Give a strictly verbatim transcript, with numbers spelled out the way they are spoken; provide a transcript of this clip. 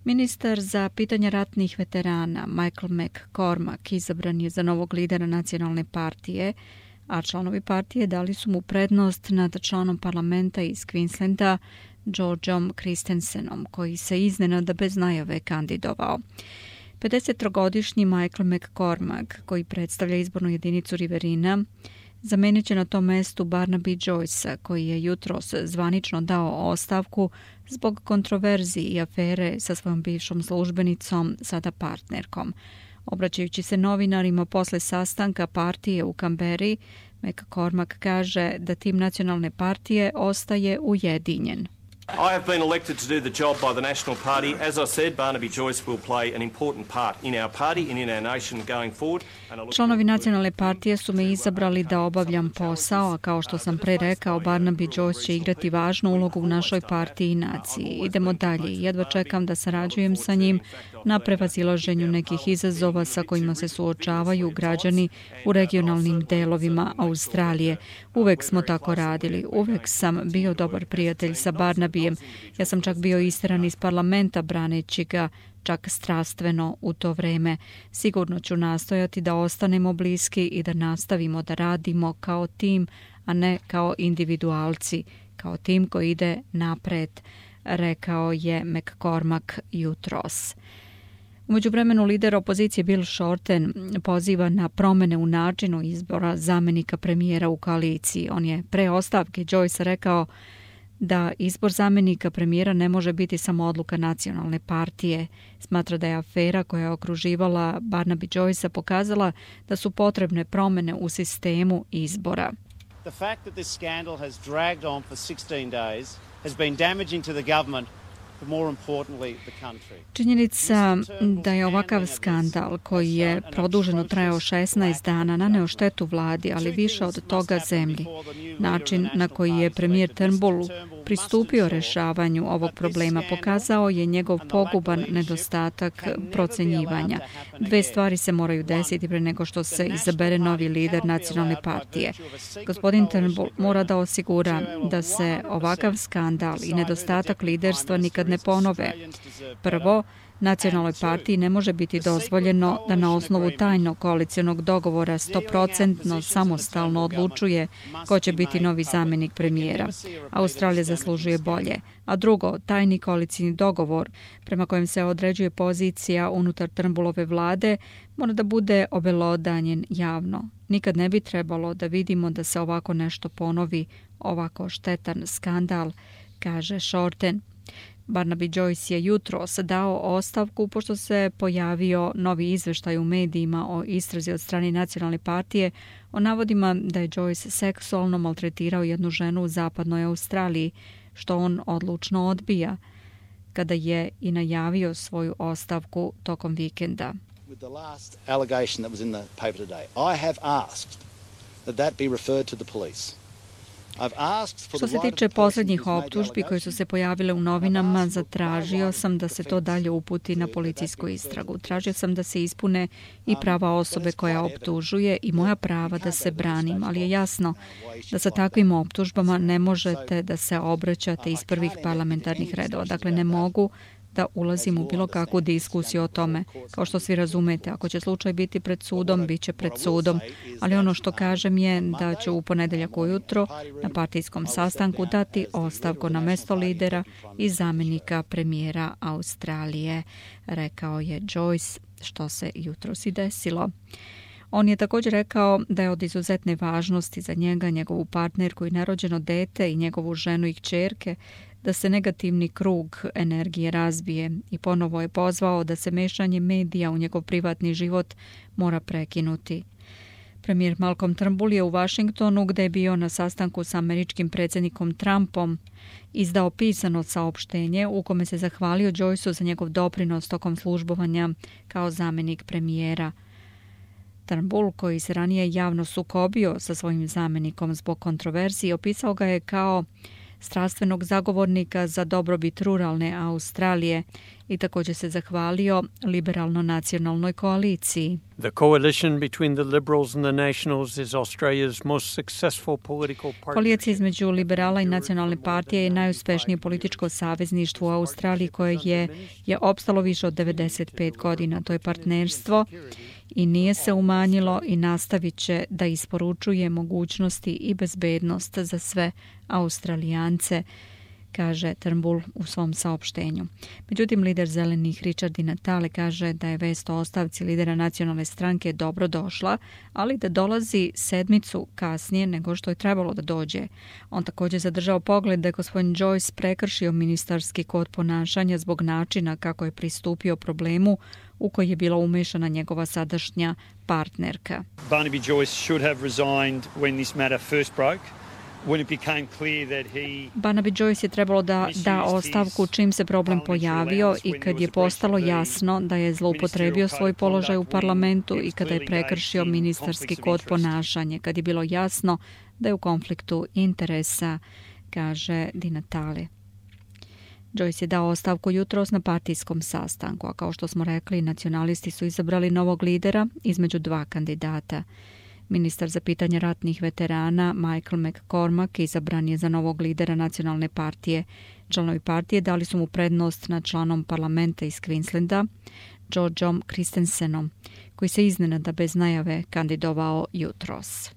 Ministar za pitanja ratnih veterana Michael McCormack izabran je za novog lidera nacionalne partije, a članovi partije dali su mu prednost nad članom parlamenta iz Queenslanda Georgeom Christensenom, koji se iznenada bez najave kandidovao. pedesettrogodišnji Michael McCormack, koji predstavlja izbornu jedinicu Riverina, zamenit će na tom mestu Barnaby Joycea, koji je jutros zvanično dao ostavku zbog kontroverziji i afere sa svojom bivšom službenicom, sada partnerkom. Obraćajući se novinarima posle sastanka partije u Kamberi, McCormack kaže da tim nacionalne partije ostaje ujedinjen. I have been elected to do the job by the National Party. As I said, Barnaby Joyce will play an important part in our party and in our nation going forward. Članovi nacionalne partije su me izabrali da obavljam posao, a kao što sam pre rekao, Barnaby Joyce će igrati važnu ulogu u našoj partiji i naciji. Idemo dalje i jedva čekam da sarađujem sa njim na prevazilaženju nekih izazova sa kojima se suočavaju građani u regionalnim delovima Australije. Uvek smo tako radili. Uvek sam bio dobar prijatelj sa Barnabyjem. Ja sam čak bio isteran iz parlamenta braneći ga čak strastveno u to vreme. Sigurno ću nastojati da ostanemo bliski i da nastavimo da radimo kao tim, a ne kao individualci, kao tim koji ide napred, rekao je McCormack jutros. U međuvremenu lider opozicije Bill Shorten poziva na promene u načinu izbora zamenika premijera u koaliciji. On je pre ostavke Joyce rekao da izbor zamenika premijera ne može biti samo odluka nacionalne partije. Smatra da je afera koja je okruživala Barnaby Joycea pokazala da su potrebne promene u sistemu izbora. The fact that this scandal has dragged on for sixteen days has been damaging to the government. Činjenica da je ovakav skandal koji je produženo trajao šesnaest dana naneo štetu vladi, ali više od toga zemlji. Način na koji je premijer Turnbull pristupio rešavanju ovog problema pokazao je njegov poguban nedostatak procenjivanja. Dve stvari se moraju desiti pre nego što se izabere novi lider nacionalne partije. Gospodin Turnbull mora da osigura da se ovakav skandal i nedostatak liderstva nikad ne ponove. Prvo, nacionalnoj partiji ne može biti dozvoljeno da na osnovu tajnog koalicionog dogovora sto posto samostalno odlučuje ko će biti novi zamenik premijera. Australija zaslužuje bolje. A drugo, tajni koalicijni dogovor prema kojem se određuje pozicija unutar Turnbullove vlade mora da bude obelodanjen javno. Nikad ne bi trebalo da vidimo da se ovako nešto ponovi, ovako štetan skandal, kaže Shorten. Barnaby Joyce je jutros dao ostavku pošto se pojavio novi izveštaj u medijima o istrazi od strane nacionalne partije o navodima da je Joyce seksualno maltretirao jednu ženu u zapadnoj Australiji, što on odlučno odbija, kada je i najavio svoju ostavku tokom vikenda. With the last allegation that was in the paper today, I have asked that that be referred to the police. Što se tiče posljednjih optužbi koje su se pojavile u novinama, zatražio sam da se to dalje uputi na policijsku istragu. Tražio sam da se ispune i prava osobe koja optužuje i moja prava da se branim, ali je jasno da sa takvim optužbama ne možete da se obraćate iz prvih parlamentarnih redova. Dakle, ne mogu da ulazim u bilo kakvu diskusiju o tome. Kao što svi razumete, ako će slučaj biti pred sudom, bit će pred sudom. Ali ono što kažem je da ću u ponedeljak ujutro na partijskom sastanku dati ostavku na mesto lidera i zamenika premijera Australije, rekao je Joyce, što se jutros i desilo. On je također rekao da je od izuzetne važnosti za njega, njegovu partnerku i nerođeno dete i njegovu ženu i kćerke da se negativni krug energije razbije i ponovo je pozvao da se mešanje medija u njegov privatni život mora prekinuti. Premijer Malcolm Turnbull je u Washingtonu, gde je bio na sastanku sa američkim predsjednikom Trumpom, izdao pisano saopštenje u kome se zahvalio Joyceu za njegov doprinos tokom službovanja kao zamenik premijera. Turnbull, koji se ranije javno sukobio sa svojim zamenikom zbog kontroverzije, opisao ga je kao strastvenog zagovornika za dobrobit ruralne Australije i također se zahvalio liberalno-nacionalnoj koaliciji. The coalition between the Liberals and the Nationals is Australia's most successful political partnership. Koalicija između liberala i nacionalne partije je najuspješnije političko savezništvo u Australiji koje je, je opstalo više od devedeset pet godina. To je partnerstvo i nije se umanjilo i nastavit će da isporučuje mogućnosti i bezbednost za sve Australijance, kaže Turnbull u svom saopštenju. Međutim, lider zelenih Richard Di Natale kaže da je vest o ostavci lidera nacionalne stranke dobro došla, ali da dolazi sedmicu kasnije nego što je trebalo da dođe. On također zadržao pogled da je gospodin Joyce prekršio ministarski kod ponašanja zbog načina kako je pristupio problemu u koji je bila umešana njegova sadašnja partnerka. Barnaby Joyce should have resigned when this matter first broke. Barnaby Joyce je trebalo da da ostavku čim se problem pojavio i kad je postalo jasno da je zloupotrebio svoj položaj u parlamentu i kada je prekršio ministarski kod ponašanja, kad je bilo jasno da je u konfliktu interesa, kaže Di Natale. Joyce je dao ostavku jutros na partijskom sastanku, a kao što smo rekli, nacionalisti su izabrali novog lidera između dva kandidata. Ministar za pitanje ratnih veterana Michael McCormack izabran je za novog lidera nacionalne partije. Članovi partije dali su mu prednost nad članom parlamenta iz Queenslanda, Georgeom Christensenom, koji se iznenada bez najave kandidovao jutros.